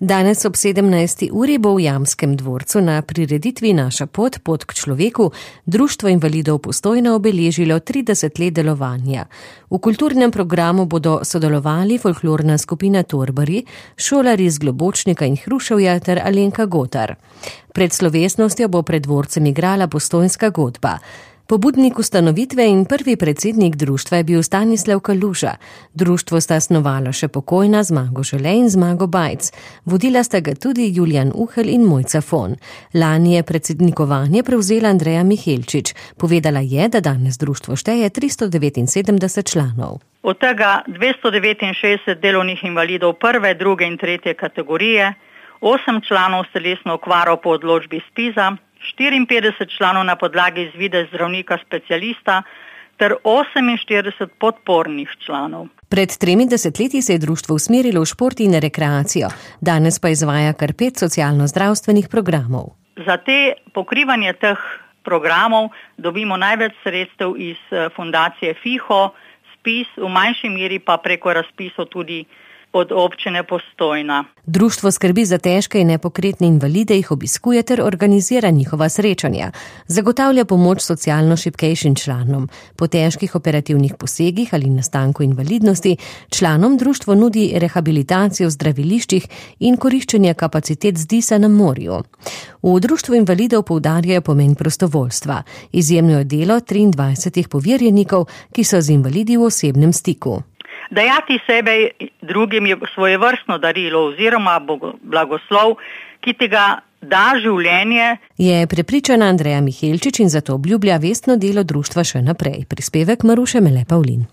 Danes ob 17. uri bo v Jamskem dvorcu na prireditvi Naša pot, pot k človeku, Društvo invalidov Postojna obeležilo 30 let delovanja. V kulturnem programu bodo sodelovali folklorna skupina Torbari, šolarji iz Globočnika in Hruševja ter Alenka Gotar. Pred slovesnostjo bo pred dvorcem igrala postojnska godba. Pobudnik ustanovitve in prvi predsednik društva je bil Stanislav Kaluža. Društvo sta snovala še pokojna Zmago Žele in Zmago Bajc. Vodila sta ga tudi Julijan Uhelj in Mojca Fon. Lani je predsednikovanje prevzela Andreja Mihelčič. Povedala je, da danes društvo šteje 379 članov. Od tega 269 delovnih invalidov prve, druge in tretje kategorije, 8 članov s telesno okvaro po odločbi ZPIZ-a, 54 članov na podlagi izvide zdravnika specialista ter 48 podpornih članov. Pred 30 leti se je društvo usmerilo v šport in rekreacijo, danes pa izvaja kar 5 socialno-zdravstvenih programov. Za te pokrivanje teh programov dobimo največ sredstev iz fundacije FIHO, ZPIZ, v manjši meri pa preko razpisov tudi od občine Postojna. Društvo skrbi za težke in nepokretne invalide, jih obiskuje ter organizira njihova srečanja. Zagotavlja pomoč socialno šibkejšim članom. Po težkih operativnih posegih ali nastanku invalidnosti članom društvo nudi rehabilitacijo v zdraviliščih in koriščenje kapacitet ZDIS-a na morju. V društvu invalidov poudarjajo pomen prostovoljstva. Izjemno je delo 23 poverjenikov, ki so z invalidi v osebnem stiku. Dajati sebe drugim je svojevrstno darilo oziroma blagoslov, ki ti ga da življenje. Je prepričana Andreja Mihelčič in zato obljublja vestno delo društva še naprej. Prispevek Maruše Mele Pavlin.